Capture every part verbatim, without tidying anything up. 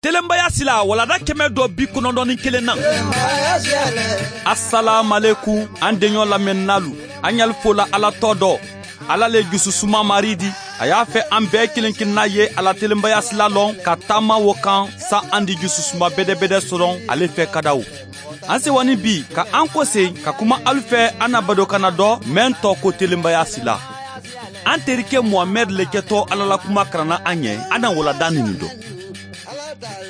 Telenbaya sila walanda kɛmɛ dɔ bi kɔnɔntɔn ni kelen na. Asalaamualeykum, an deɲɔ lamɛnninaalu, an ɲali fola Ala tɔgɔ dɔ. Ala le jususuma Maari di. A y'a fɛ an bɛɛ kelen kelenna ye a la telenbaya sila lɔn ka taama wo kan, sa an di jususuma bedebede sɔrɔ ale fɛ ka da o. An sewanin bi ka an kosegin ka kuma alu fɛ an na badokanna dɔ, meŋ tɔgɔ ko telenbaya sila. An terike Muhamɛdi le kɛtɔ Ala la kuma karanna an ye, an na walanda nini dɔn.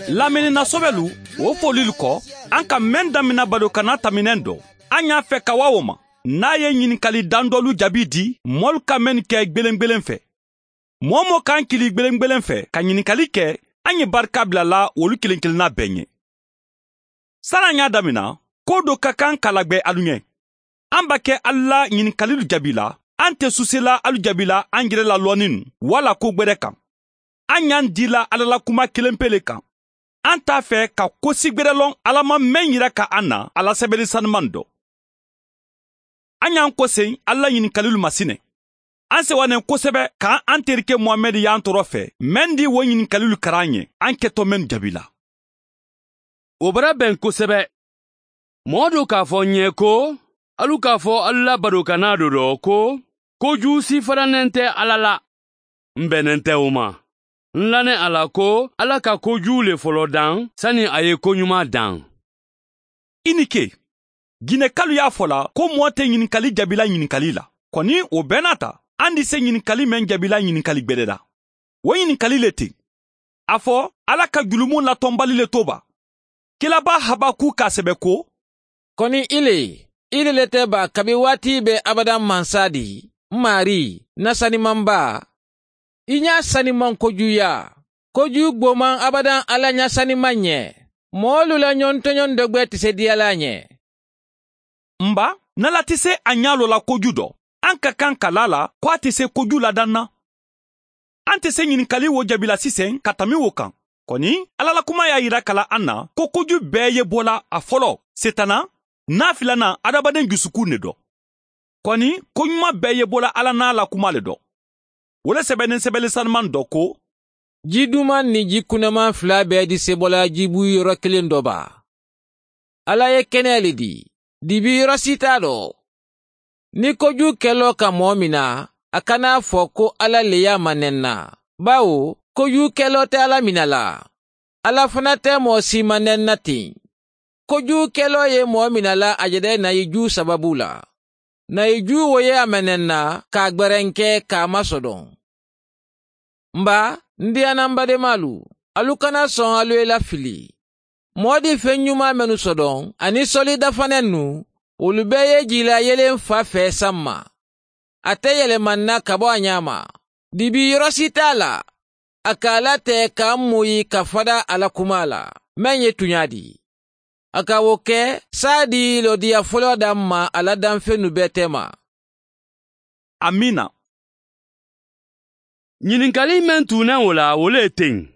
Lamɛnni na sobelu, wo folilu kɔ, an ka meŋ damina badokanna taminɛn dɔn, an y'a fɛ ka waa wo ma, n'a ye ɲininkali dan dɔlu jaabi di, moolu ka mennu kɛ gbelengbelen fɛ. Moo wo moo ka an kili gbelengbelen fɛ ka ɲininkali kɛ, an ye barika bila a la wolu kelen kelenna bɛɛ ɲɛ. Sani an y'a damina, ko do ka kan ka lagbe alu ɲɛ. An b'a kɛ alu la ɲininkalilu jaabila, an tɛ susela alu jaabila an yɛrɛ la lɔnni nu walla ko gberɛ kan. An y'an dila Ala la kuma kelen pe le kan. An t'a fɛ ka kosi gberɛ lɔn Ala ma meŋ yira ka an na a la sɛbɛli sanuman dɔn. An y'an kosegin Ala la ɲininkalilu ma sinin. An sewa ne kosɛbɛ ka an terike Muhamɛdi y'an tɔɔrɔ fɛ, meŋ di wo ɲininkalilu kara an ye, an kɛtɔ mennu jaabila. O bara bɛn kosɛbɛ. Mɔɔ do k'a fɔ n ye ko, alu k'a fɔ alu la badokanna do dɔ ko, koju sifananen tɛ Ala la. N bɛnnen tɛ o ma. N lannen a la ko Ala ka koju le fɔlɔ dan sani a ye koɲuman dan. I ni ke. Ginɛkalu y'a fɔ la ko mɔɔ tɛ ɲininkali jaabila ɲininkali la. Kɔni, o bɛɛ n'a ta, an di se ɲininkali meŋ jaabila ɲininkali gberɛ la. Wo ɲininkali le ten. A fɔ, Ala ka julumu latɔnbali le to ba? Kilaba Habakuka sɛbɛ ko, kɔni i le, i le le tɛ ba kabi waati bɛ abadan mansa di, n maari, na sanimanba? I ɲa saniman koju ya, koju gboman abadan Ala ɲa saniman ɲɛ. Moolu la ɲɔntoɲɔn dɔgbɛ tɛ se diyala a ɲɛ. N ba, n'Ala tɛ se a ɲa lɔ la koju dɔ, an ka kan ka laa a la ko a tɛ se koju ladan na. An tɛ se ɲininkali wo jaabila sisan ka tanbi wo kan. Kɔni, Ala la kuma y'a yira ka la an na ko koju bɛɛ ye bɔla a fɔlɔ, Setaana, n'a filanan, adamaden jusukun de dɔ. Kɔni, ko ɲuman bɛɛ ye bɔla Ala n'a la kuma le dɔ. Wo le sɛbɛnnen sɛbɛli sanuman dɔ ko, ji duman ni ji kunnaman fila bɛɛ di se bɔla jibu yɔrɔ kelen dɔ ba? Ala ye kɛnɛ le di, dibi yɔrɔ si t'a dɔ. Ni koju kɛlɔ ka mɔɔ min na, a kana a fɔ ko Ala le y'a manɛnna, bawo koju kɛlɔ tɛ Ala mina la. Ala fana tɛ mɔɔ si manɛnna ten. Koju kɛlɔ ye mɔɔ mina la a yɛrɛ nayiju sababu la. Nayiju wo ye a manɛnna k'a gbɛrɛnkɛ k'a masɔdɔn. N ba, n diyana n bademaalu, alu kana sɔn alu ye lafili. Mɔɔ di feŋ ɲuman mennu sɔdɔn, ani sɔli dafanennu, wolu bee ye jiila yelen fa fɛ samma. A te yelema n na ka bo a ɲaama. Dibi yɔrɔ si te a la, a ka a latee ka a muyi ka fada a la kumaa la, meŋ ye tuɲaa di. A ka wo ke saadi lodiya foloo da n ma a la danfennu bee teema. Amiina. Ɲininkali meŋ tuunna wo la, wo le ye teŋ.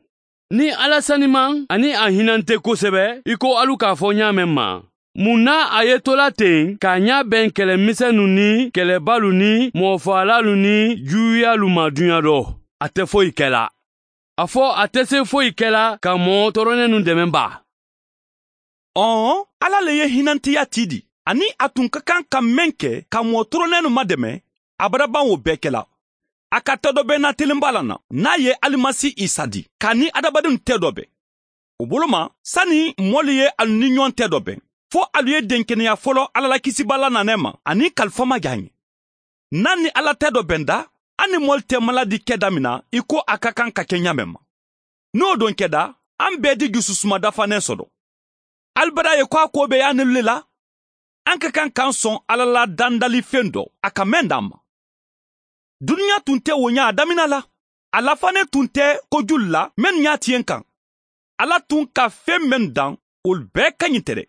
Niŋ Alla sanimaŋ aniŋ a hinante kosebe, i ko alu ka a fo ñaameŋ ma, muŋ na a ye tola teŋ ka a ñaabeŋ kele misennu niŋ kelebaalu niŋ moofaalaalu niŋ juuyaalu ma duña do? A te foyi ke la. A fo a te se foyi ke la ka moo toroneenu deme baa? Ɔɔ, Alla le ye hinanteya tii di, aniŋ a tun ka kaŋ ka meŋ ke ka moo toroneenu mademe, abada baŋ wo bee ke la. A ka tedobennaa telenbaa la na, niŋ a ye Alimasi Isa di, ka a niŋ hadamadennu tedobee. Wo bolo ma, sani moolu ye alu niŋ ñoŋ tedobee, fo alu ye denkeneya folo Alla la kisibaa la naanee ma aniŋ kalifa ma jaa ñe. Niŋ alu niŋ Alla tedobenta, alu niŋ moolu te maladi ke daminna i ko a ka kaŋ ka ke ñaameŋ ma. Niŋ wo doŋ keta, alu bee ti jususuma dafaneŋ soto. Alu bada ye ko a koo be yaanelu le la? Alu ka kaŋ ka alu soŋ Alla la dandalifeŋ do a ka meŋ daa n ma. Duniya tun te wo ñaa daminna la. A lafanee tun te kojulu la mennu ñaa ti ye n kaŋ. Alla tun ka feŋ mennu daŋ, wolu bee kañinta le.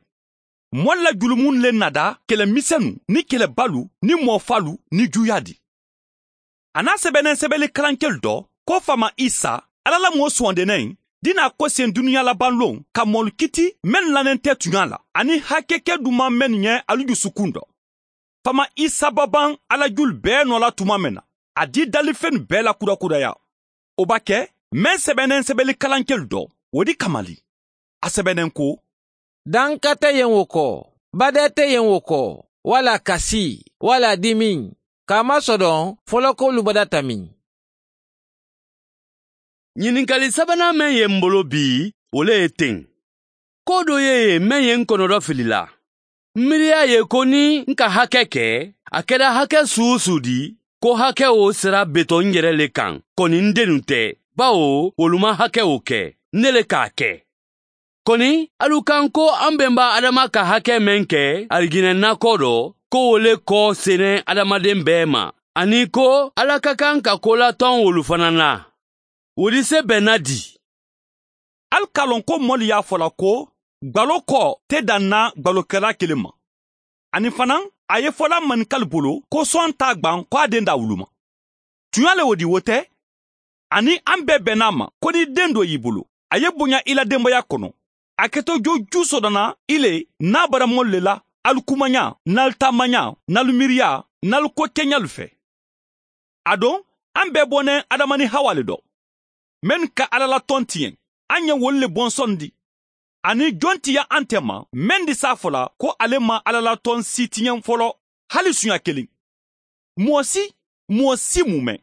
Moolu la julumunnu le nada kele misennu niŋ kelebaalu niŋ moofaalu niŋ juuyaa di. A niŋ a sebeneŋ sebeli kalankelu to ko faamaa isa, Alla la moo suwandeneŋ, dinaa koseŋ duniya labaŋ loŋ ka moolu kiti mennu lanente tuñaa la aniŋ hakeke dumaa mennu ñe alu jusukun do. Faamaa isa babaŋ Alla julu bee noo la tumaa meŋ na, a dii dalifennu bee la kudakudayaa. Wo ba ke meŋ sebeneŋ sebeli kalankelu to wo di kamali. A sebeneŋ ko, danka teyeŋ wo ko, bade teyeŋ wo ko, wala kasi, wala dimiŋ, ka a masodoŋ folokoolu badata miŋ. Ñininkali sabanaa meŋ ye m bolo bii, wo le ye teŋ. Koo doo ye ye meŋ ye n konoto fili la. M miiriya ye ko niŋ n ka hake ke, a keta hake suu-suu di, ko hake wo sera beto n yere le kaŋ, koni n denu te, bawo wolu maŋ hake wo ke, n ne le ka a ke. Koni alu kaŋ ko an benba adama ka hake meŋ ke arijinɛ nakoo do, ko wo le ko seneŋ adamadeŋ bee ma, aniŋ ko ala ka kaŋ ka koolatoŋ wolu fanaa na. Wo di se be na di. Ali ka a loŋ ko moolu ye a fo la ko gbalo ko te daŋ na gbalokelaa kiliŋ ma. Aniŋ fanaa a ye fo la manikali bolo ko soŋ te a gbaŋ ko a dendaa wuluma. Tuñaa le wo di wo te? Aniŋ a be bee naa ma ko niŋ i dendoo ye i bolo, a ye boña i la denbaya kono, a keto joo juu soto na i le niŋ a bara moolu le la, ali kumañaa niŋ ali taamañaa niŋ ali miiriyaa niŋ ali ko keñalu fee. Aduŋ a be bo neŋ adama niŋ hawa le do, mennu ka alla la toŋ tiyeŋ. A ye wolu le bonsondi. Aniŋ joŋ ti ya a nte ma meŋ di se a fo la ko ale maŋ alla la toŋ sii tiyeŋ folo? Hali suuñaa kiliŋ moo si moo si mu meŋ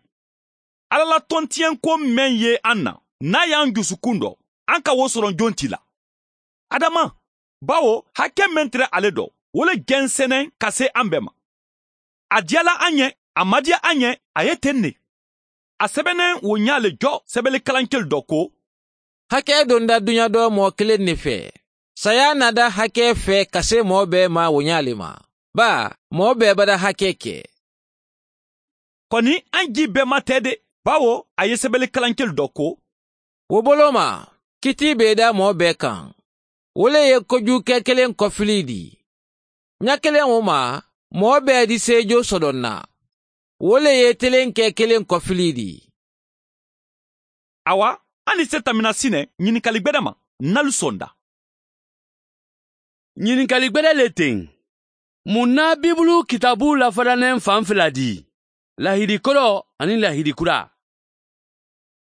alla la toŋ tiyeŋ ko meŋ ye a na niŋ a ye a jusukuŋ do, a ka wo soroŋ joŋ ti la? Adama, bawo hake meŋ tara ale do, wo le jenseneŋ ka see a bee ma. A diyala a ye, a maŋ diya a ye, a ye teŋ ne. A sebeneŋ wo ñaa le jo sebeli kalankelu do ko, hake donda duña do moo kiliŋ ne fee, sayaa naata hake fee ka see moo bee ma wo ñaa le ma, baa moo bee bada hake ke. Koni a jii bee ma tee de, bawo a ye sebeli kalankelu do ko, wo bolo ma, kitii be i daa moo bee kaŋ. Wo le ye kojuukee kiliŋ kofilii dii. Ña kiliŋ wo ma, moo bee di seejoo sodoŋ na. Wo le ye tiliŋ kee kiliŋ kofilii dii. Awa, a ni se tamina sine ñininkali gbedema, nnalu sonda. Ñininkali gbede le teŋ. Muŋ na bibulu kitaabu lafadaneŋ faŋ fila di? Lahidi koro aniŋ lahidi kura.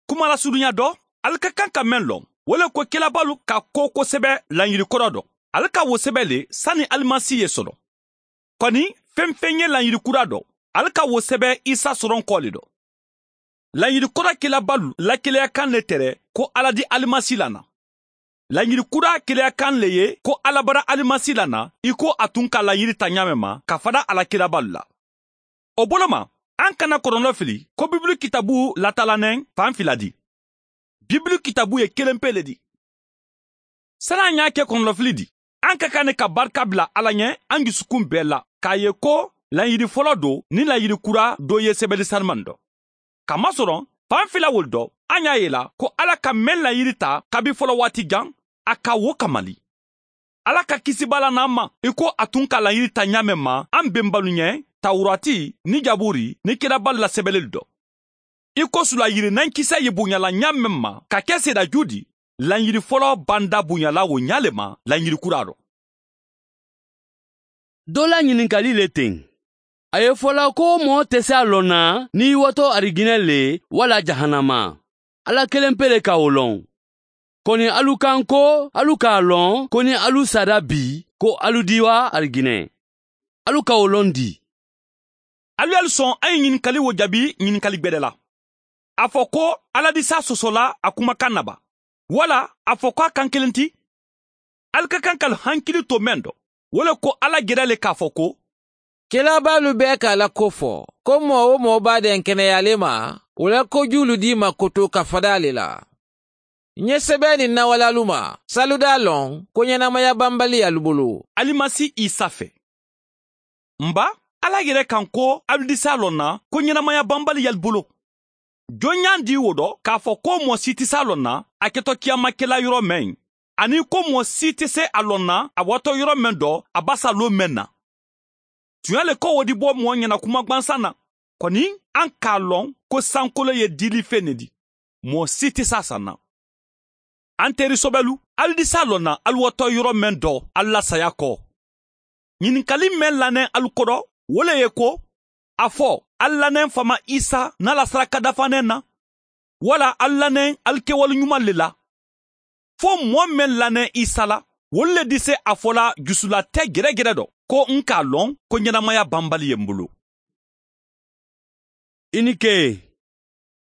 Kumalasurunya do, ali ka kaŋ ka meŋ loŋ wo le ko kilabaalu ka ko kosebe lañiri koro do, ali ka wo sebe le sani alimasi ye soto. Koni feŋ-feŋ ye lañiri kura do, ali ka wo sebe isa soronko le do. Lañiri kura kilabaalu la kileya kaŋ le tere ko alla di alimasi la na. Lañiri kura kileya kaŋ le ye ko alla bara alimasi la na, i ko a tun ka lañiri ta ñaameŋ ma ka fada a la kilabaalu la. Wo bolo ma, a n kana koronto fili ko bibulu kitaabu latalaneŋ faŋ fila di. Bibulu kitaabu ye kelenpe le di. Sani a ñaa ke koronto fili di, a n ka kaŋ ne ka barika bila alla ye a n jusukuŋ bee la ka a ye ko lañiri foloo do niŋ lañiri kura do ye sebeli sarimaŋ do. Ka masoroŋ faŋ fila wolu do, a ñaa ye i la ko alla ka meŋ lañiri ta kabi folowaati jaŋ, a ka wo kamali. Alla ka kisibaa la naa ma i ko a tun ka lañiri ta ñaameŋ ma a n bembaalu ñe, tawuraati niŋ jabuuri niŋ kirabaalu la sebelelu do. I ko sulayirinaankisa ye buña la ñaameŋ ma ka ke seedaajuu di, lañiri foloo banda buña la wo ñaa le ma lañiri kuraa do. Doo la ñininkali le teŋ. A ye fo la ko moo te si a loŋ na niŋ i wato arijinɛ le walla jahanama. Alla kelenpe le ka wo loŋ. Koni alu kaŋ ko alu ka a loŋ ko niŋ alu saata bii ko alu diiwa arijinɛ. Alu ka wo loŋ di? Alu ye alu soŋ a ye ñininkali wo jabi ñininkali gbede la. A fo ko alla di si a soso la a kumakaŋ na ba? Walla a fo ko a kaŋ kiliŋ ti? Ali ka kaŋ ka ali hankili to meŋ do, wo le ko alla geda le ka a fo ko, kilabaalu bee ka a la ko fo ko moo-wo-moo be a denkeneyaa le ma, wo la kojuulu dii ma kutu ka fada a le la. Ǹ ye sebeeni ǹ na walaalu ma si alu daa loŋ ko ñenamaya bambali ye alu bulu alimasi isa fee. M̀ ba, alla yere kaŋ ko alu di si a loŋ na ko ñenamaya bambali ye alu bulu. Joŋ ñaŋ di wo do ka a fo ko moo si ti si a loŋ na a keto kiyaama kela yoro meŋ, aniŋ ko moo si ti si a loŋ na a wato yoro meŋ do a ba si a loo meŋ na? Tuñaa le ko wo di bo moo ñena kuma gbansaŋ na. Koni a ŋ ka a loŋ ko sankoloo ye diilifee ne di, moo si ti si a saŋ na. A n teeri sobelu, ali di si a loŋ na ali wato yoro meŋ do ali la saayaa ko? Ñininkali meŋ laneŋ ali kodo wo le ye ko, a fo ali laneŋ faama isa niŋ a la saraka dafaaneŋ na, walla ali laneŋ ali kewolu ñumalu le la? fo moo meŋ lanee isa la wolu le dise a fo la jusulate geregere do ko n ka a loŋ ko ñenamaya bambali ye m bulu. I ni ke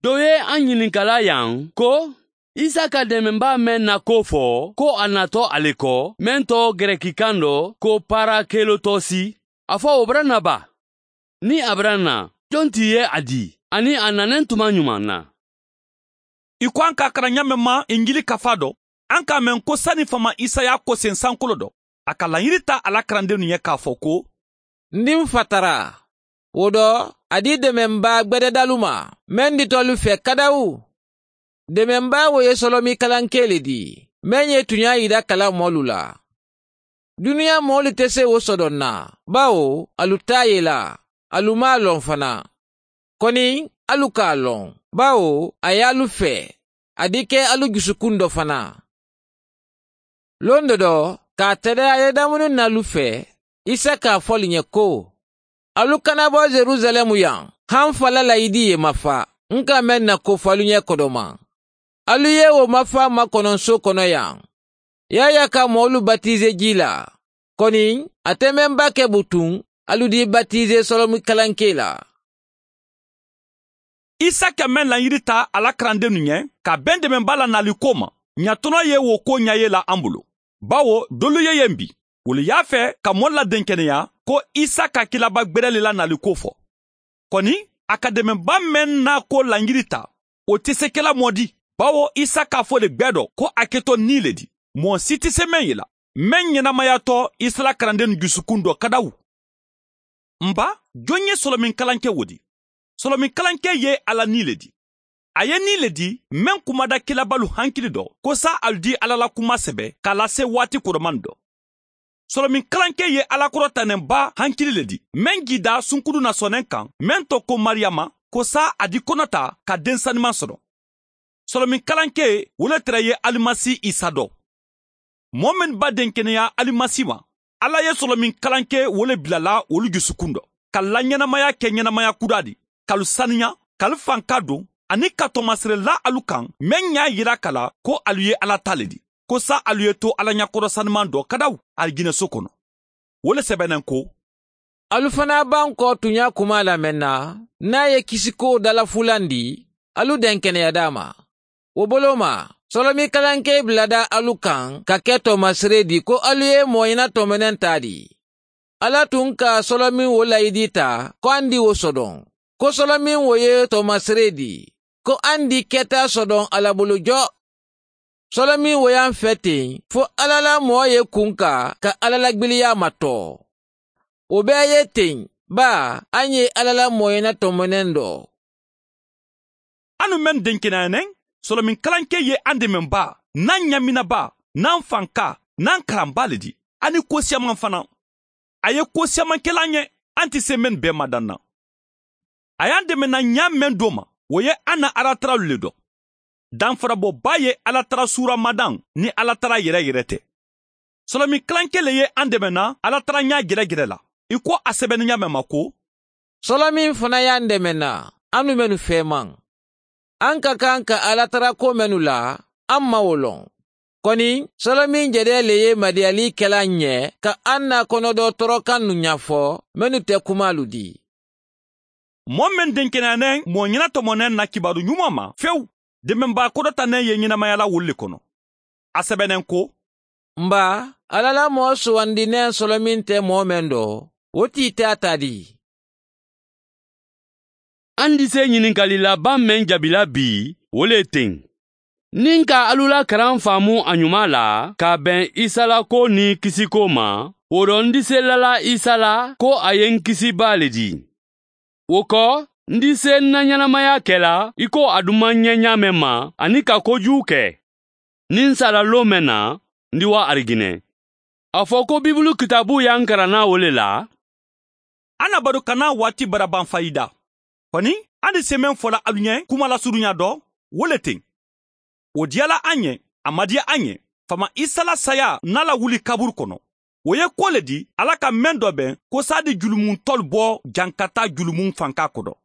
doo ye a ñininkala yaŋ ko isa ka demenbaa meŋ na ko fo ko a nato ali ko meŋ to gereki kaŋ do ko parakelotosi, a fo wo baraŋ na baa? Niŋ a baraŋ na, joŋ ti ye a dii aniŋ a naneŋ tuma ñumaŋ na? I ko a n ka a kara ñaameŋ ma injili kafaa do, a n ka a meŋ ko sani faama isa ye a koseŋ sankolo do, a ka lañiri taa a la karandennu ye ka a fo ko, n di m fatara. Wo do a di demenbaa gbededalu ma meŋ dita alu fee kadawu. Demenbaa wo ye solomi kalankee le di meŋ ye tuñaa yida kala moolu la. Duniyaa moolu te se wo sodoŋ na, bawo alu taa ye la, alu maŋ a loŋ fanaa. Koni alu ka a loŋ, bawo a ye alu fee, a dike alu jusukundo fanaa. Londo do ka a tadaya ye damunin alu fee, isa ka a fo alu ñe ko, alu kana bo yerusaleemu yaŋ, haŋ fa la layidi ye mafa n ka meŋ na ko fo alu ñe kodomaŋ. Alu ye wo mafa makononso kono yaŋ. Yaya ka moolu batize jii la, koni a te meŋ ba ke butuŋ alu di batize solomi kalankee la. Isa ka meŋ lañiri taa a la karandennu ñe ka beŋ demenbaa la naaliko ma, ñatono ye wo ko ñaye la a bulu. Bawo doolu ye ye mbi wolu ye a fee ka moolu la denkeneya ko isa ka kilaba gbereli la naaliko fo. Koni a ka demenbaa meŋ naako lañiri taa, wo te se ke la moo di, bawo isa ka a fo le gbee do ko a keto nii le di, moo si te se meŋ ye la meŋ ñenamaya to isa la karandennu jusukundo kadawu. N ba, joŋ ye solomiŋ kalankee wo di? Solomiŋ kalankee ye alla nii le di. A ye nii le di meŋ kumada kilabalu hankili do ko saa alu di alla la kumaa sebe ka a lase waati kodomaŋ do. Solomiŋ kalankee ye alla korotaneŋ baa hankili le di meŋ jiidaa sunkudu na soneŋ kaŋ meŋ to ko mariyama, ko saa a di kono taa ka deŋ sanimaŋ soto. Solomiŋ kalankee wo le tara ye alimasi isa do. Moo mennu ba denkeneya alimasi ma, alla ye solomiŋ kalankee wo le bila la wolu jusukundo ka lañenamaya ke ñenamaya kudaa di, ka alu saniya, ka alu fanka duŋ, aniŋ ka toomasere la alu kaŋ meŋ ñaa yira ka la ko alu ye alla taa le di, ko saa alu ye to alla ñakoro sanimaŋ do kadawu, alijineso kono. Wo le sebeneŋ ko, alu fanaa bankoo tuñaa kumaa la meŋ na, niŋ a ye kisikoo dalafulandi, alu denkeneyadaa ma. Wo boloo ma, solomi kalankee biladaa alu kaŋ ka ke toomasiree di ko alu ye mooyina tomeneŋ taa di. Alla tuŋ ka solomiŋ wo layidi taa ko a ndi wo sodoŋ, ko solomiŋ wo ye toomasiree di ko a ndi keta sodoŋ alla bulu jo. Solomiŋ wo ye a feteŋ fo alla la moo ye kunka ka alla la gbiliyaa matoo. Wo bee ye teŋ baa a ŋ ye alla la mooyina tomeneŋ do. A nu meŋ denkeneyaneŋ, solomiŋ kalankee ye a demeŋ baa, niŋ a ŋaminabaa, niŋ a fankaa, niŋ a karanbaa le di, a ni koosiyamaŋ fanaa. A ye koosiyamaŋ ke la a ŋe, a nte se meŋ bee madaŋ na. A ye a deme na ñaa meŋ doo ma, wo ye a na alataralu le do. Danfarabo baa ye alatara suura madaŋ niŋ alatara yereyere te. Solomiŋ kalankee le ye a deme na alatara ñaa jerejere la, i ko a sebene ñaameŋ ma ko, solomiŋ fanaa ye a deme na a nu mennu feemaŋ. A ŋ ka kaŋ ka alatara ko mennu la, a ŋ maŋ wo loŋ. Koni solomiŋ jedee le ye madiyalii ke la a ŋ ye ka a ŋ na kono doo torokannu ñafo mennu te kumaalu di. Moo meŋ denkeneyaneŋ moo ñena tomoneŋ na kibaaru ñumaa ma fewu, demenbaa kodotaneŋ ye ñenamayala wolu le kono. A sebeneŋ ko, m ba, alla la moo suwandineŋ solomiŋ te moo meŋ do, wo tiitaataa di. A n dise ñininkali labaŋ meŋ jabi la bii, wo le teŋ. Niŋ ka alu la karaŋ faamu a ñumaa la ka a beŋ isa la koo niŋ kisikoo ma, wo do n dise lala isa la ko a ye n kisi baa le di. Wo ko, n dise n na ñanamaya ke la i ko a dumaŋ ŋa ñaameŋ ma aniŋ ka kojuu ke. Niŋ n sala loo meŋ na, n di wa arigine. A fo ko bibulu kitaabu ye a n kara naa wo le la. A na batu ka naa waati barabaŋ fayida. Koni a ni semeŋ fola alu ɲe kuma la suruɲa do, wo le teŋ. Wo diyala a ɲe, a ma diya a ɲe. Fama isa la saya na la wuli kaburu kono. Wo ye ko le di ala ka meŋ do beŋ ko saadi julumun tolu bo jaŋ ka taa julumun fanka kodo.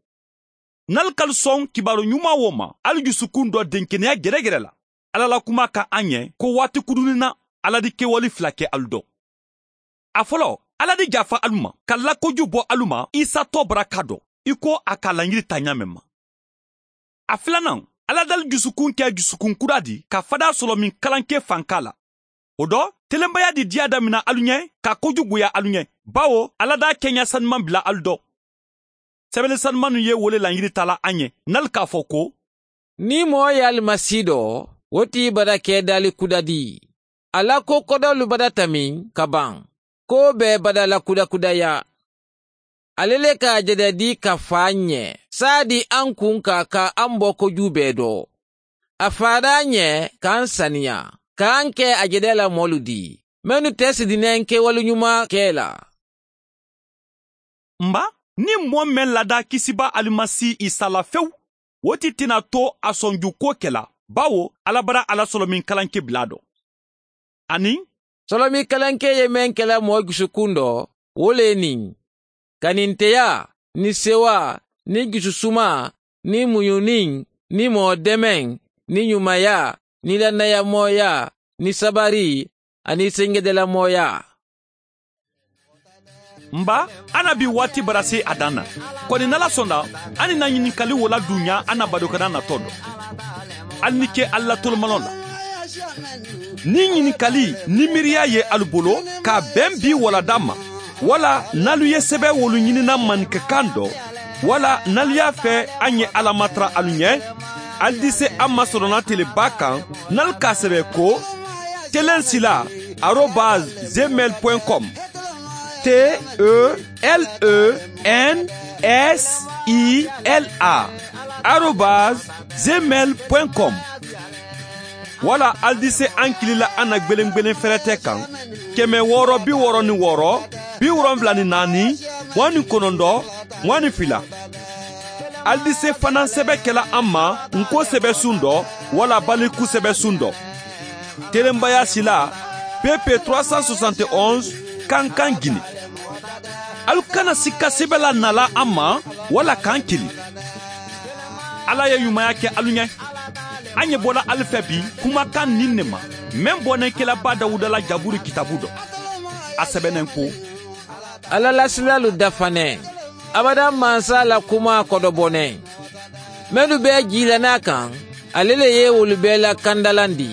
Nal kal soŋ kibaaru ɲuma wo ma, al jusukun do denkeneya geregere la. Alla la kumaa kaŋ a ɲee ko waati kudunnin na, alla di kewali fula ke alu do. A foloo, alla di jaafa alu ma ka lakoju bo alu ma isa too baraka do, i ko a ka a laɲiri taa ɲaameŋ ma. A filanaŋ, alla dali jusukun ke jusukun kudaa di ka fadaa solomin kalankee fankaa la. Wo do, telenbayaa di diyaa damina alu ɲee ka kojuguyaa alu ɲee, bawo alla daa keɲa sanumaŋ bila alu do. Sebele sanumannu ye wo le laɲiri taa la a ɲee, ǹ na ali ka a fo ko, niŋ moo ye ali ma sii do, wo ti i bada ke daali kuda dii. A la ko kodoolu badata meŋ ka baŋ, ko bee bada la kuda kuda yaa. Ale le ka a jede dii ka faa ǹ ye, saadi a ǹ kuŋ ka a ka a ǹ bo kojuu bee do. A faada ǹ ye ka a ǹ saniyaa, ka a ǹ ke a jede la moolu dii mennu te sidineŋ kewolu ɲumaa ke la. M̀ ba, niŋ moo meŋ ladaa kisibaa alimasi isa la fewu, wo ti ti na to a sonju kuwo ke la, bawo alla bara a la solomin kalankee bilaa do. Aniŋ solomin kalankee ye meŋ ke la moo jusukuŋ do, wo le ye niŋ, kaninteyaa, niŋ sewaa, niŋ jususumaa, niŋ muɲuniŋ, niŋ moo demeŋ, niŋ ɲumayaa, niŋ lannayamooyaa, niŋ sabarii, aniŋ senjedelamooyaa. M̀ ba, a na bii waati barasee a daŋ na. Koni ǹ na la sonda, a niŋ ǹ na ɲininkali wo la duŋ ɲaa a na badookana natoo do. Ali ni ke alla tolomaloŋ la. Niŋ ɲininkali niŋ miiriyaa ye alu bolo ka a beŋ bii wala daŋ ma, wala ǹ na alu ye sebe wolu ɲinina maninka kaŋ do, wala ǹ na alu ye a fee a ŋ ye alla matara alu ɲee, ali di se a ma soronatelebaa kaŋ ǹ na alu ka a sebe ko, telensilaa arobaasi zemeli poyinkomu. T e l e n s i l a arobaasi zemeli poyinkomu. Wala ali di se a ǹ kili la a na gbeleŋ gbeleŋ ferete kaŋ, keme wooro bi wooro niŋ wooro, bi wolonwula niŋ naani, muwaŋ niŋ kononto, muwaŋ niŋ fila. Ali di se fanaa sebe ke la a ma ǹ ko sebe sundo, wala baliku sebe sundo. Telenbayaa silaa, pepe turasan sosanti onsi, kankan gine. Alu kana sikka sebe la ǹ na la a ma, wala ka ǹ kili. Alla ye ɲumaya ke alu ɲee. A ɲebola ali fee bii kumakaŋ niŋ ne ma, meŋ boneŋ kela baa dawuda la jaburu kitaabu do. A sebeneŋ ko, alla la silaalu dafa ne, abada mansa la kumaa kodo boneŋ. Mennu be jiilanaa kaŋ, ale le ye wolu bee la kandalandi.